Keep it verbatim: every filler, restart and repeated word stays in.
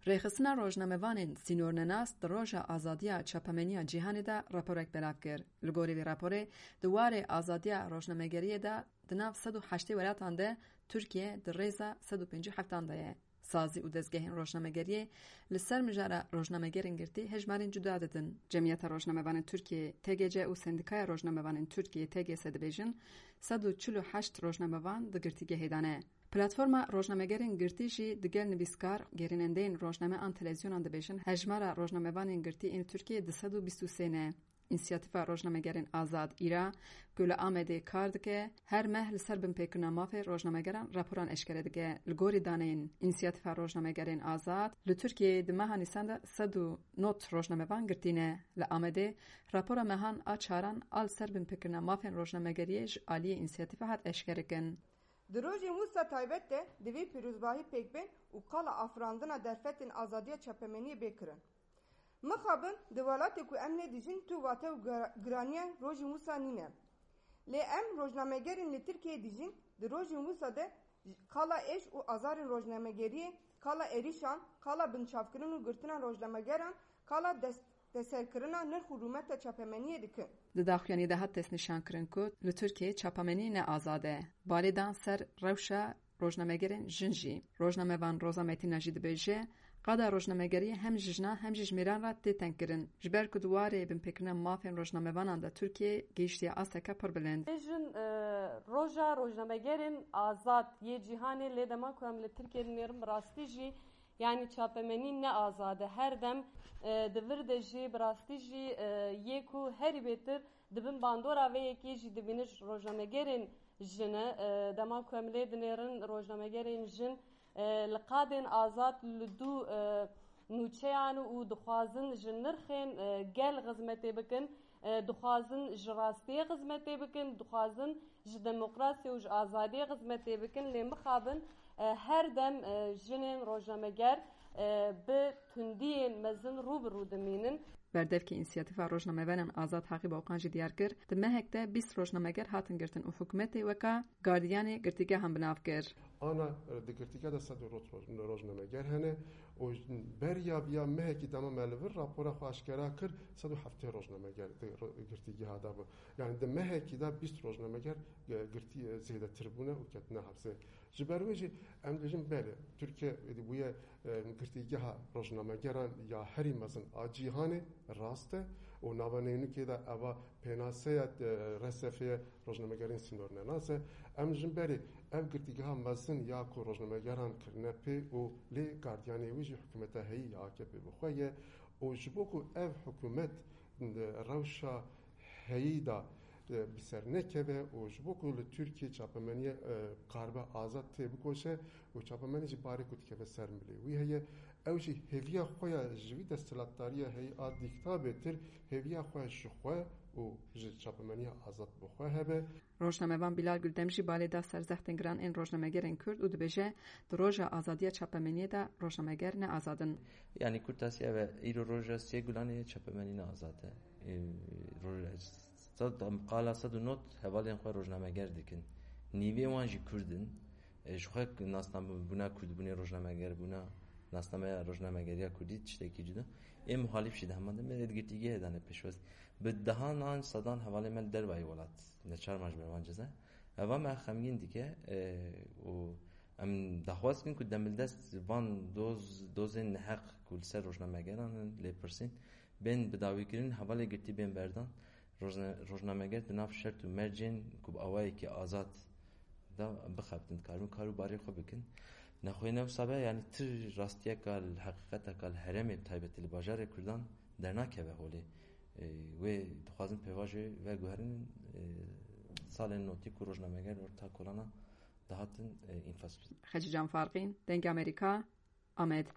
Rêxistina rojnamevanên sînornenas di roja azadiya çapemeniya cîhanê de raporek belav kir. Li gorî vê raporê, di warê azadiya rojnamegeriyê de di nav sed û heştê welatan de Tirkiye di rêza sed û pêncî û heftan de ye. Sazî û dezgehên rojnamegeriyê li ser mijara rojnamegerên girtî hejmarên cuda didin. Cemiyeta Rojnamevanên Tirkiyê, T G C, û Sendîkaya Rojnamevanên Tirkiyê, T G S, dibêjin sed û çil û heşt rojnamevan di girtîgehê de ne. Platforma Rojnamegerên Girtî jî digel nivîskar, gerînendeyên rojname an televîzyonan dibêjin hejmara rojnamevanên girtî ên Tirkiyê du sed û bîst û sê ne. Însiyatîfa Rojnamegerên Azad, îra, ku li Amedê kar dike, her meh li ser binpêkirina mafê rojnamegeran raporan eşkere dike. Li gorî daneyên Însiyatîfa Rojnamegerên Azad, li Tirkiyeyê di meha Nîsan de sed û nod rojnamevan girtî ne. Li Amedê, rapora mehan a çaran a li ser binpêkirina mafên rojnamegeriyê ji aliyê Însiyatîfa hat eşkerekirin. Di rojên wisa taybet de divê pîrozbahî pêk bên û qala afirandina derfetên azadiya çapemeniyê bê kirin. Mixabin di welatê ku em lê dijîn tu wate û gira-, giraniya rojên wisa nîne. Lê em rojnamegerên li Tirkiyeyê dijîn, di rojên wisa de qala êş û azarên rojnamegeriyê, qala êrîşan, qala binçavkirin û girtina rojnamegeran, qala dest-, destserkirina nirx û rûmeta çapemeniyê dikin. Di daxuyaniyê de hat destnîşankirin ku li Tirkiyeyê çapamenî ne azad e. Balê dan ser rewşa rojnamegerên jin jî. Rojnamevan Roza Metîna jî dibêje, qada rojnamegeriyê hem ji jinan hem jî ji mêran re tê tengkirin. Ji ber ku di warê binpêkirina mafên rojnamevanan de Tirkiye gihiştiye asteke pir bilind. Bêjin, e, roja rojnamegerên azad yê cîhanê, lê dema ku em li Tirkiye dinêrin, bi rastî jî, yanî çapemenî ne azad e. Her dem, e, di vir de jî, bi rastî jî, e, yê ku herî bêtir di bin bandora vê yekê jî dibînin rojnamegerên jin e. E, dema ku em lê dinêrin, rojnamegerên jin, e, li qadên azad li dû, e, nûçeyan û dixwazin ji nirxên, e, gel xizmetê bikin, e, dixwazin ji rastiyê xizmetê bikin, dixwazin ji demokrasiyê û ji azadiyê xizmetê bikin, lê mixabin, e, her dem, e, jinên rojnameger, e, bi tundiyên mezin rû bi rû dimînin. Berdevkê Însiyatîfa Rojnamevanên Azad Haqî Boqan jî diyar kir, di mehek de bîst rojnameger hatin girtin û hikûmetê weka gardiyanê girtîgehan bi nav kir. Ana, e, di girtîgeha de sed û nod roj-, rojnameger hene û beriya viya mehekî dema me li vir rapora xwe aşkera kir, sed û heftê rojnameger di ro-, girtîgeha de bû. Yani di mehekî de bîst rojnameger, e, girtî, e, zêdetir bûne û ketine hepsê. Ji ber wê jî em dibêjin belê, Tirkiye êdî bûye, e, girtîgeha rojnamegeran ya herî mezin a cîhanê, rast e, û nava neynikê de eva pênaseya, e, R S F'ê rojnamegerên sînornenas e. Em ji berê ev girtîgeha mezin ya ku rojnamegeran kirine pê û lê gardiyanê wî jî hikûmeta heyî ya A K P bi xwe ye û ji bo ku ev hikûmet, e, rewşa heyî de, e, bi ser nekeve û ji bo ku li Tirkiyê çapemeniye, e, karibe azad tê bikoşe û çapemenî jî barê ku dikeve ser milê wî heye. Ew jî hêviya xwe ya ji vî desthilatdariya heyî a dîkta bêtir, hêviya xwe ji xwe û ji çapemeniya azad bi xwe hebe. Rojnamevan Bilal Guldem jî balê da ser zextên giran ên rojnamegerên Kurd û dibêje, di roja azadiya çapemeniyê de rojnameger ne azad in. Yanî kurtasî ev e, îro roja sê Gulanê çapemenî ne azad e. Ê, roja sed, qala sed û nod hevalên xwe rojnameger dikin. Nîvê wan jî Kurd in. E, ji xwe nasnamebûna Kurdbûnê, rojnamegerbûna, nasnameya rojnamegeriya Kurdî tiştekî cuda. Ê muhalîf jî di heman demê êdgirtîgehê dane pêşwazî. Bi dehan an sedan hevalên me li dervayî welat neçar ma ji ber van ceza. Eva me xemgîn dike, e, û em daxwaz dikin ku demildest van doz, dozên neheq ku li ser rojnamegeran in lê pirsîn, bên bidawîkirin, hevalê girtî bên berdan. Rojna-, rojnameger di nav şert û mercên ku bi awayekî azad de bixebtin, dikarin kar û barê xwe bikin. Nexweyne wisa be, yanî tu rastiyeka li heqîqeteka li herêmê, bi taybetî li bajarê Kurdan dernakeve holê. Ê, wê dixwazin pêvajoyê veguherin, ê, salên notî ku rojnameger orta kolana dihatin, ê, înfaz kirin. Xecîcan Farqîn, Dengê Amerîka, Amed.